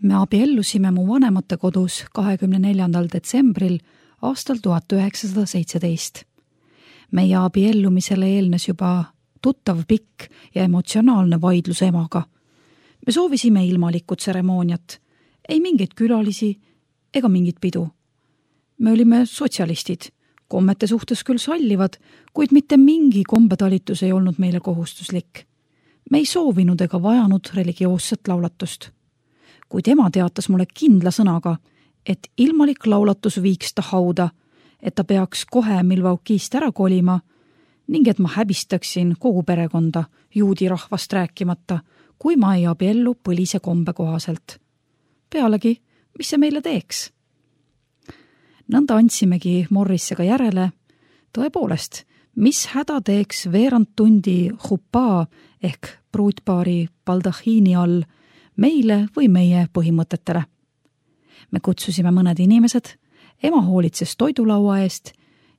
Me abiellusime mu vanemate kodus 24. detsembril aastal 1917. Meie abiellumisele eelnes juba tuttav pikk ja emotsionaalne vaidlus emaga. Me soovisime ilmalikku tseremooniat, ei mingeid külalisi ega mingit pidu. Me olime sotsialistid, kommete suhtes küll sallivad, kuid mitte mingi kombetalitus ei olnud meile kohustuslik. Me ei soovinud ega vajanud religioosset laulatust. Kuid ema teatas mulle kindla sõnaga, et ilmalik laulatus viiks ta hauda, et ta peaks kohe Milwaukee'st ära kolima ning et ma häbistaksin kogu perekonda, juudi rahvast rääkimata, kui ma ei abiellu põlise kombe kohaselt. Pealegi, mis see meile teeks? Nõnda andsimegi Morrissega järele. Tõepoolest, mis häda teeks veerand tundi huppaa ehk pruutpaari baldahiini all meile või meie põhimõtetele. Me kutsusime mõned inimesed, ema hoolitses toidulaua eest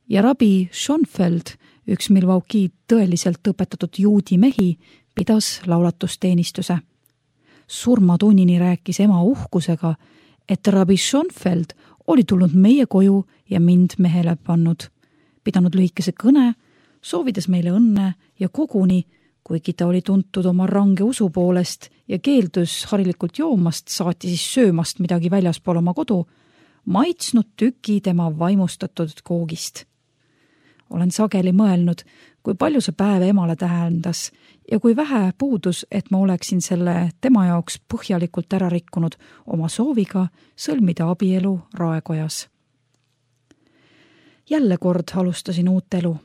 ja rabi Schonfeld, üks Milwaukee tõeliselt õpetatud juudi mehi, pidas laulatusteenistuse. Surmatunnini rääkis ema uhkusega, et rabi Schonfeld oli tulnud meie koju ja mind mehele pannud, pidanud lühikese kõne, soovides meile õnne ja koguni, kuigi ta oli tuntud oma range usu poolest ja keeldus harilikult joomast, saati siis söömast midagi väljaspool oma kodu, maitsnud tüki tema vaimustatud koogist. Olen sageli mõelnud, kui palju see päev emale tähendas ja kui vähe puudus, et ma oleksin selle tema jaoks põhjalikult ära rikkunud oma sooviga sõlmida abielu raekojas. Jälle kord alustasin uut elu.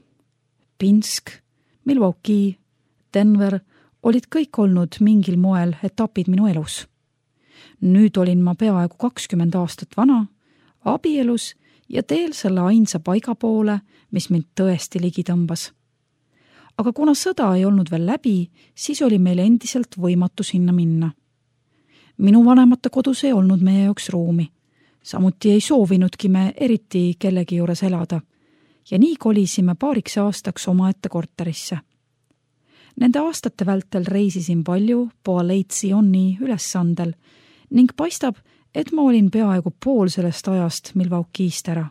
Pinsk, Milwaukee, Denver olid kõik olnud mingil moel etapid minu elus. Nüüd olin ma peaaegu 20 aastat vana, abielus ja teel selle ainsa paiga poole, mis mind tõesti ligi tõmbas. Aga kuna sõda ei olnud veel läbi, siis oli meil endiselt võimatu sinna minna. Minu vanemate kodus ei olnud meie jaoks ruumi. Samuti ei soovinudki me eriti kellegi juures elada ja nii kolisime paariks aastaks omaette korterisse. Nende aastate vältel reisisin palju Poaletsioni ülessandel ning paistab, et ma olin peaaegu pool sellest ajast Milwaukee'st ära.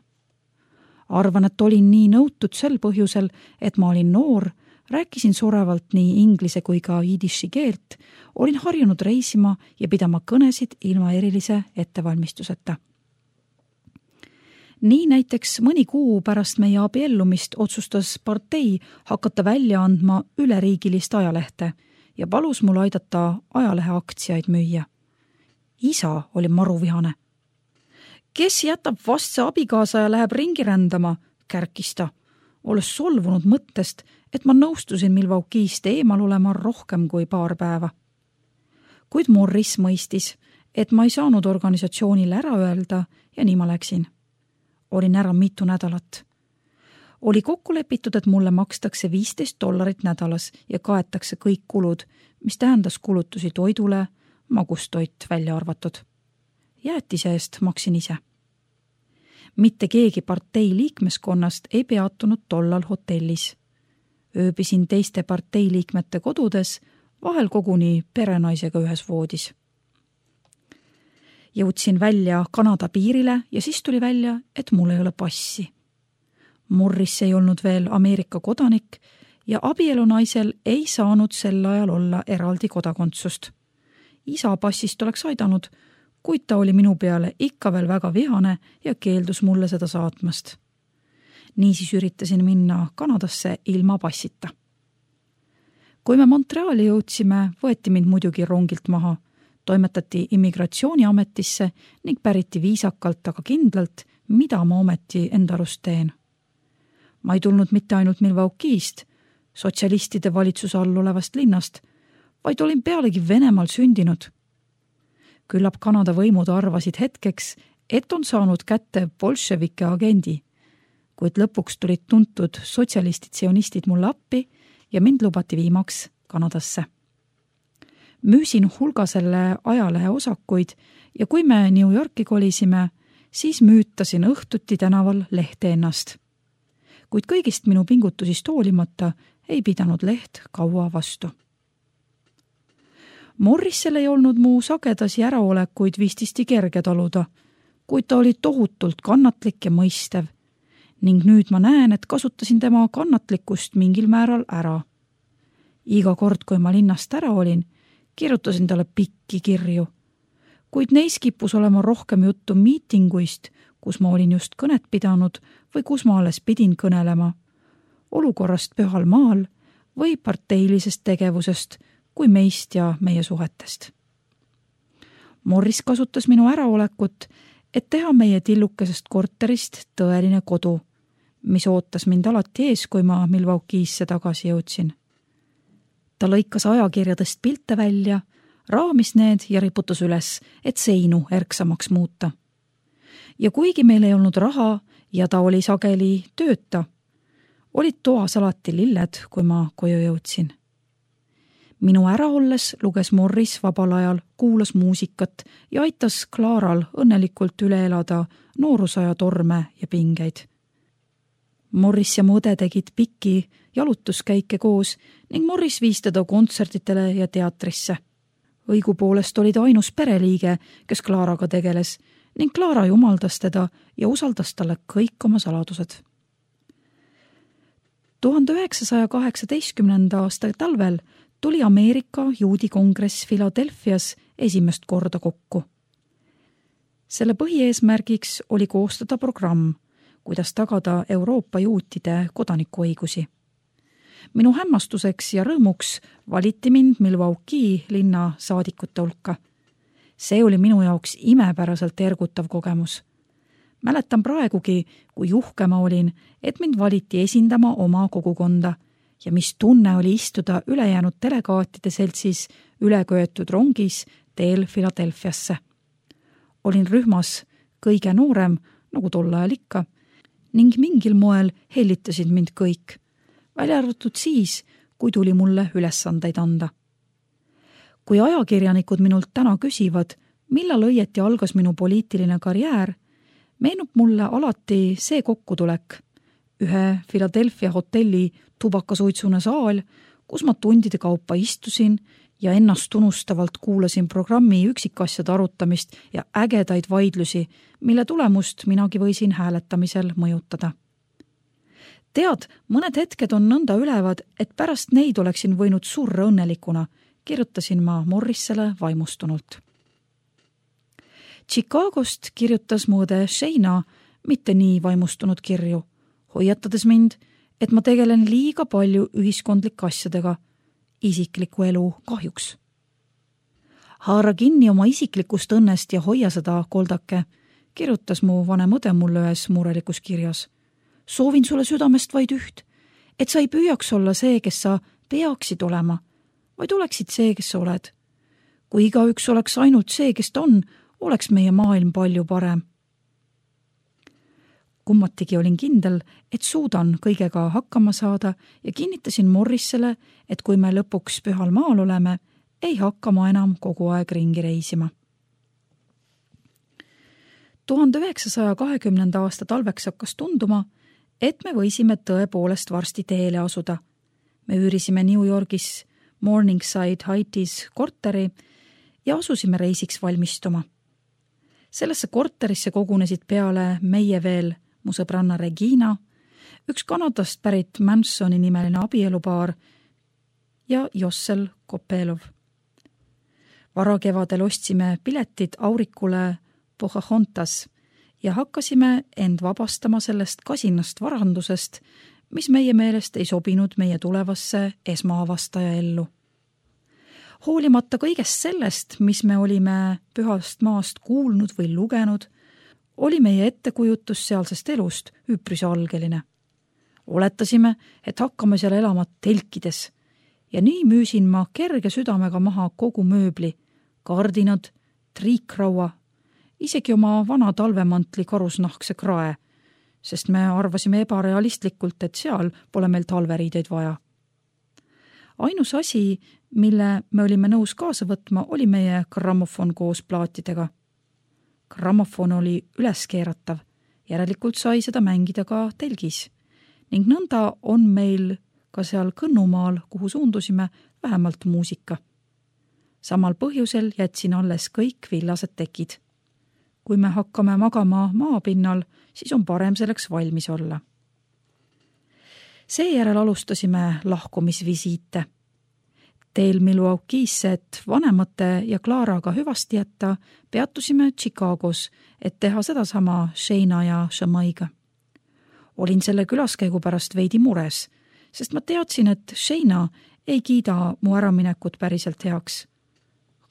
Arvan, et olin nii nõutud sel põhjusel, et ma olin noor, rääkisin surevalt nii inglise kui ka jidiši keelt, olin harjunud reisima ja pidama kõnesid ilma erilise ettevalmistuseta. Nii näiteks mõni kuu pärast meie abiellumist otsustas partei hakata välja andma üleriigilist ajalehte ja palus mul aidata ajalehe aktsiaid müüa. Isa oli maruvihane. Kes jätab vastse abikaasa ja läheb ringi rändama, kärkis ta, olles solvunud mõttest, et ma nõustusin Milwaukee'st eemal olema rohkem kui paar päeva. Kuid Morris mõistis, et ma ei saanud organisatsioonile ära öelda ja nii ma läksin. Olin ära mitu nädalat. Oli kokku lepitud, et mulle makstakse $15 nädalas ja kaetakse kõik kulud, mis tähendas kulutusi toidule, magustoit välja arvatud. Jäätise eest maksin ise. Mitte keegi partei liikmeskonnast ei peatunud tollal hotellis. Ööbisin teiste partei liikmete kodudes, vahel koguni perenaisega ühes voodis. Jõudsin välja Kanada piirile ja siis tuli välja, et mul ei ole passi. Morris ei olnud veel Ameerika kodanik ja abielunaisel ei saanud sel ajal olla eraldi kodakondsust. Isa passist oleks aidanud, kuid ta oli minu peale ikka veel väga vihane ja keeldus mulle seda saatmast. Niisiis üritasin minna Kanadasse ilma passita. Kui me Montreali jõudsime, võeti mind muidugi rongilt maha, toimetati immigratsiooniametisse ning päriti viisakalt, aga kindlalt, mida ma ometi enda arust teen. Ma ei tulnud mitte ainult Milwaukee'st, sotsialistide valitsuse all olevast linnast, vaid olin pealegi Venemaal sündinud. Küllap Kanada võimud arvasid hetkeks, et on saanud kätte bolševike agendi, kuid lõpuks tulid tuntud sotsialistid-sionistid mulle appi ja mind lubati viimaks Kanadasse. Müüsin hulga selle ajalehe osakuid ja kui me New Yorki kolisime, siis müütasin õhtuti tänaval lehte ennast. Kuid kõigist minu pingutusist hoolimata ei pidanud leht kaua vastu. Morrisel ei olnud mu sagedasi äraolekuid vististi kerge taluda, kuid ta oli tohutult kannatlik ja mõistev ning nüüd ma näen, et kasutasin tema kannatlikkust mingil määral ära. Iga kord, kui ma linnast ära olin, kirjutasin talle pikki kirju, kuid neis kippus olema rohkem juttu miitinguist, kus ma olin just kõnet pidanud või kus ma alles pidin kõnelema, olukorrast pühal maal või parteilisest tegevusest kui meist ja meie suhetest. Morris kasutas minu äraolekut, et teha meie tillukesest korterist tõeline kodu, mis ootas mind alati ees, kui ma Milwaukee'sse tagasi jõudsin. Ta lõikas ajakirjadest pilte välja, raamis need ja riputas üles, et seinu erksamaks muuta. Ja kuigi meil ei olnud raha ja ta oli sageli tööta, olid toas alati lilled, kui ma koju jõudsin. Minu ära olles luges Morris vabal ajal, kuulas muusikat ja aitas Klaaral õnnelikult üle elada noorusaja torme ja pingeid. Morris ja mu õde tegid pikki jalutuskäike koos ning Morris viis teda kontsertidele ja teatrisse. Õigupoolest oli ta ainus pereliige, kes Klaaraga tegeles ning Klaara jumaldas teda ja usaldas talle kõik oma saladused. 1918. aasta talvel tuli Ameerika juudi kongress Philadelphias esimest korda kokku. Selle põhieesmärgiks oli koostada programm, kuidas tagada Euroopa juutide kodanikuõigusi. Minu hämmastuseks ja rõõmuks valiti mind Milwaukee linna saadikute hulka. See oli minu jaoks imepäraselt ergutav kogemus. Mäletan praegugi, kui uhke ma olin, et mind valiti esindama oma kogukonda ja mis tunne oli istuda ülejäänud delegaatide seltsis üleköetud rongis teel Philadelphiasse. Olin rühmas kõige noorem, nagu tol ajal ikka, ning mingil moel hellitasid mind kõik, välja arvatud siis, kui tuli mulle ülesandeid anda. Kui ajakirjanikud minult täna küsivad, millal õieti algas minu poliitiline karjäär, meenub mulle alati see kokkutulek, ühe Philadelphia hotelli tubakasuitsune saal, kus ma tundide kaupa istusin ja ennast unustavalt kuulasin programmi üksikasjade arutamist ja ägedaid vaidlusi, mille tulemust minagi võisin hääletamisel mõjutada. Tead, mõned hetked on nõnda ülevad, et pärast neid oleksin võinud surra õnnelikuna, kirjutasin ma Morrisele vaimustunult. Chicagost kirjutas mu õde Shayna mitte nii vaimustunud kirju, hoiatades mind, et ma tegelen liiga palju ühiskondlike asjadega, isikliku elu kahjuks. Haara kinni oma isiklikust õnnest ja hoia seda, koldake, kirjutas mu vanem õde mulle ühes murelikus kirjas. Soovin sulle südamest vaid üht, et sa ei püüaks olla see, kes sa peaksid olema, vaid oleksid see, kes sa oled. Kui igaüks oleks ainult see, kes ta on, oleks meie maailm palju parem. Kummatigi olin kindel, et suudan kõigega hakkama saada ja kinnitasin Morrisele, et kui me lõpuks pühal maal oleme, ei hakka ma enam kogu aeg ringi reisima. 1920. aasta talveks hakkas tunduma, et me võisime tõepoolest varsti teele asuda. Me üürisime New Yorgis Morningside Heightis korteri ja asusime reisiks valmistuma. Sellesse korterisse kogunesid peale meie veel mu sõbranna Regina, üks Kanadast pärit Mansoni nimeline abielupaar ja Jossel Kopelov. Varakevadel ostsime piletid Aurikule Pocahontas ja hakkasime end vabastama sellest kasinast varandusest, mis meie meelest ei sobinud meie tulevasse esmaavastaja ellu. Hoolimata kõigest sellest, mis me olime pühast maast kuulnud või lugenud, oli meie ettekujutus sealsest elust üpris algeline. Oletasime, et hakkame seal elama telkides ja nii müüsin ma kerge südamega maha kogu mööbli, kardinad, triikraua, isegi oma vana talvemantli karusnahkse krae, sest me arvasime ebarealistlikult, et seal pole meil talveriideid vaja. Ainus asi, mille me olime nõus kaasa võtma, oli meie grammofon koos plaatidega. Grammofon oli üleskeeratav, järelikult sai seda mängida ka telgis ning nõnda on meil ka seal Kõnnumaal, kuhu suundusime, vähemalt muusika. Samal põhjusel jätsin alles kõik villased tekid. Kui me hakkame magama maapinnal, siis on parem selleks valmis olla. Seejärel alustasime lahkumisvisiite. Teel Milwaukee'sse, et vanemate ja Claraga hüvasti jätta, peatusime Chicagos, et teha sedasama Shayna ja Shamaiga. Olin selle külaskäigu pärast veidi mures, sest ma teadsin, et Shayna ei kiida mu äraminekut päriselt heaks.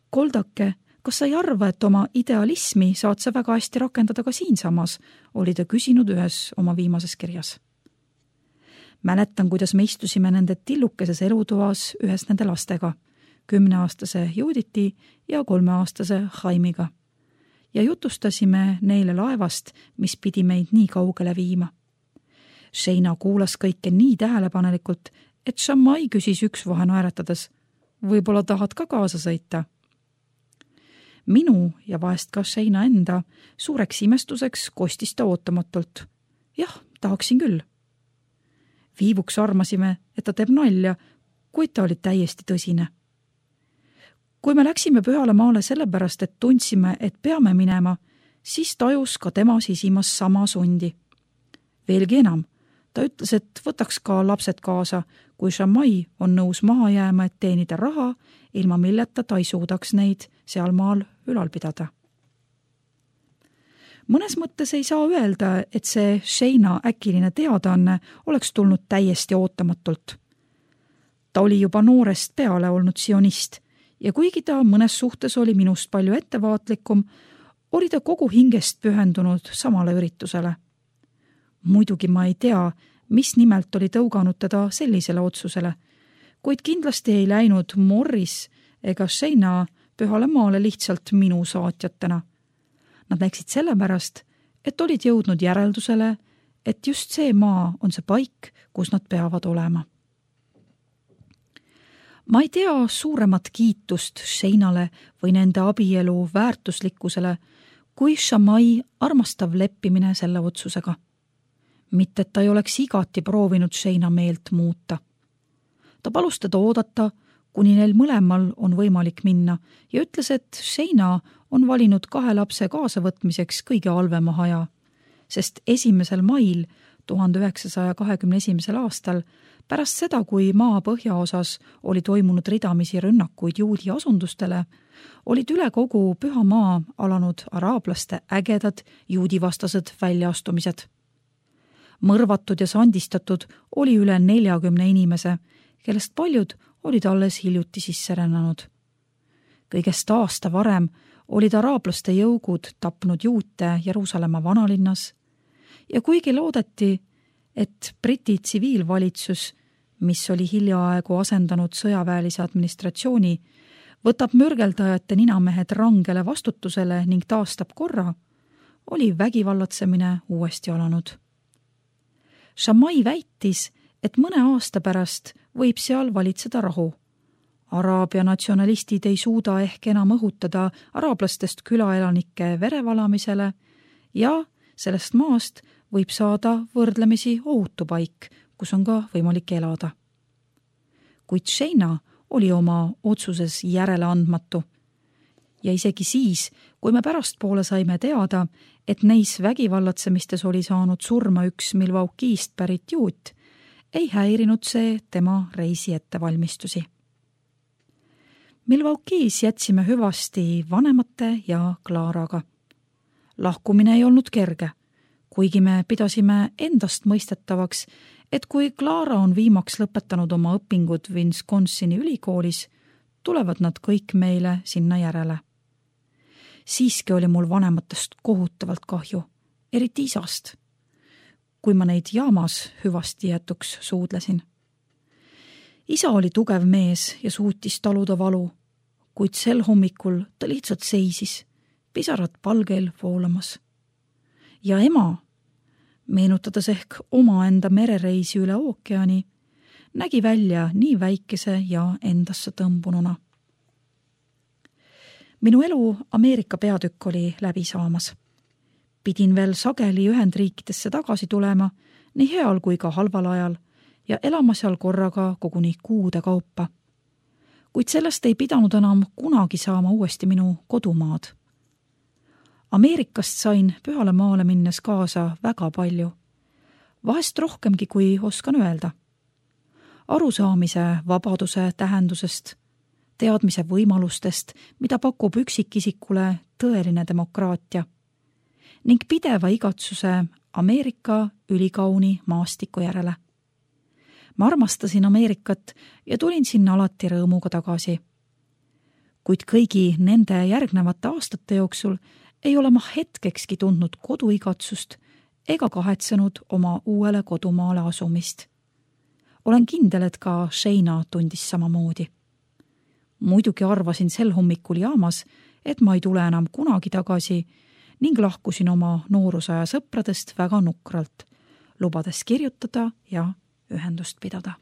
Koldake, kas sa ei arva, et oma idealismi saad sa väga hästi rakendada ka siinsamas, oli ta küsinud ühes oma viimases kirjas. Mäletan, kuidas me istusime nende tillukeses elutoas ühes nende lastega, 10-aastase Juditi ja 3-aastase Jaimiga. Ja jutustasime neile laevast, mis pidi meid nii kaugele viima. Shayna kuulas kõike nii tähelepanelikult, et Shamai küsis üksvahe naeratades, võib-olla tahad ka kaasa sõita? Minu ja vahest ka Shayna enda suureks imestuseks kostis ta ootamatult. Jah, tahaksin küll. Viivuks armasime, et ta teeb nalja, kuid ta oli täiesti tõsine. Kui me läksime Pühale maale sellepärast, et tundsime, et peame minema, siis tajus ka tema sisimas sama sundi. Veelgi enam, ta ütles, et võtaks ka lapsed kaasa, kui Shamai on nõus maha jääma, et teenida raha, ilma milleta ta ei suudaks neid sealmaal ülal pidada. Mõnes mõttes ei saa öelda, et see Shayna äkiline teadaanne oleks tulnud täiesti ootamatult. Ta oli juba noorest peale olnud sionist ja kuigi ta mõnes suhtes oli minust palju ettevaatlikum, oli ta kogu hingest pühendunud samale üritusele. Muidugi ma ei tea, mis nimelt oli tõuganud teda sellisele otsusele, kuid kindlasti ei läinud Morris ega Shayna Pühale maale lihtsalt minu saatjatena. Nad läksid sellepärast, et olid jõudnud järeldusele, et just see maa on see paik, kus nad peavad olema. Ma ei tea suuremat kiitust Shaynale või nende abielu väärtuslikkusele, kui Shamai armastav leppimine selle otsusega. Mitte, et ta ei oleks igati proovinud Shayna meelt muuta. Ta palus teda oodata, kuni neil mõlemal on võimalik minna ja ütles, et Shayna on valinud 2 lapse kaasavõtmiseks kõige halvema aja, sest 1. mail 1921. aastal, pärast seda, kui maa põhjaosas oli toimunud ridamisi rünnakuid juudi asundustele, olid üle kogu Püha maa alanud araablaste ägedad juudivastased väljaastumised. Mõrvatud ja sandistatud oli üle 40 inimese, kellest paljud olid alles hiljuti sisse rännanud. Kõigest aasta varem olid araablaste jõugud tapnud juute Jeruusalemma vanalinnas ja kuigi loodeti, et Briti tsiviilvalitsus, mis oli hiljaaegu asendanud sõjaväelise administratsiooni, võtab mürgeldajate ninamehed rangele vastutusele ning taastab korra, oli vägivallatsemine uuesti alanud. Shamai väitis, et mõne aasta pärast võib seal valitseda rahu. Araabia natsionalistid ei suuda ehk enam õhutada araablastest külaelanike verevalamisele ja sellest maast võib saada võrdlemisi ohutu paik, kus on ka võimalik elada. Kuid Shayna oli oma otsuses järeleandmatu. Ja isegi siis, kui me pärastpoole saime teada, et neis vägivallatsemistes oli saanud surma üks Milwaukee'st pärit juut, ei häirinud see tema reisi ettevalmistusi. Milwaukee's jätsime hüvasti vanemate ja Claraga. Lahkumine ei olnud kerge, kuigi me pidasime endast mõistetavaks, et kui Clara on viimaks lõpetanud oma õpingud Wisconsini ülikoolis, tulevad nad kõik meile sinna järele. Siiski oli mul vanematest kohutavalt kahju, eriti isast, kui ma neid jaamas hüvasti jätuks suudlesin. Isa oli tugev mees ja suutis taluda valu, kuid sel hommikul ta lihtsalt seisis, pisarad palgel voolamas. Ja ema, meenutades ehk omaenda merereisi üle ookeani, nägi välja nii väikese ja endasse tõmbununa. Minu elu Ameerika peatükk oli läbi saamas. Pidin veel sageli Ühendriikidesse tagasi tulema, nii heal kui ka halval ajal, ja elama seal korraga koguni kuude kaupa. kuid sellest ei pidanud enam kunagi saama uuesti minu kodumaad. Ameerikast sain pühale maale minnes kaasa väga palju, vahest rohkemgi, kui oskan öelda. Arusaamise vabaduse tähendusest, teadmise võimalustest, mida pakub üksikisikule tõeline demokraatia ning pideva igatsuse Ameerika ülikauni maastiku järele. Ma armastasin Ameerikat ja tulin sinna alati rõõmuga tagasi. Kuid kõigi nende järgnevate aastate jooksul ei ole ma hetkekski tundnud koduigatsust ega kahetsenud oma uuele kodumaale asumist. Olen kindel, et ka Shayna tundis samamoodi. Muidugi arvasin sel hommikul jaamas, et ma ei tule enam kunagi tagasi ning lahkusin oma noorusaja sõpradest väga nukralt, lubades kirjutada ja ühendust pidada.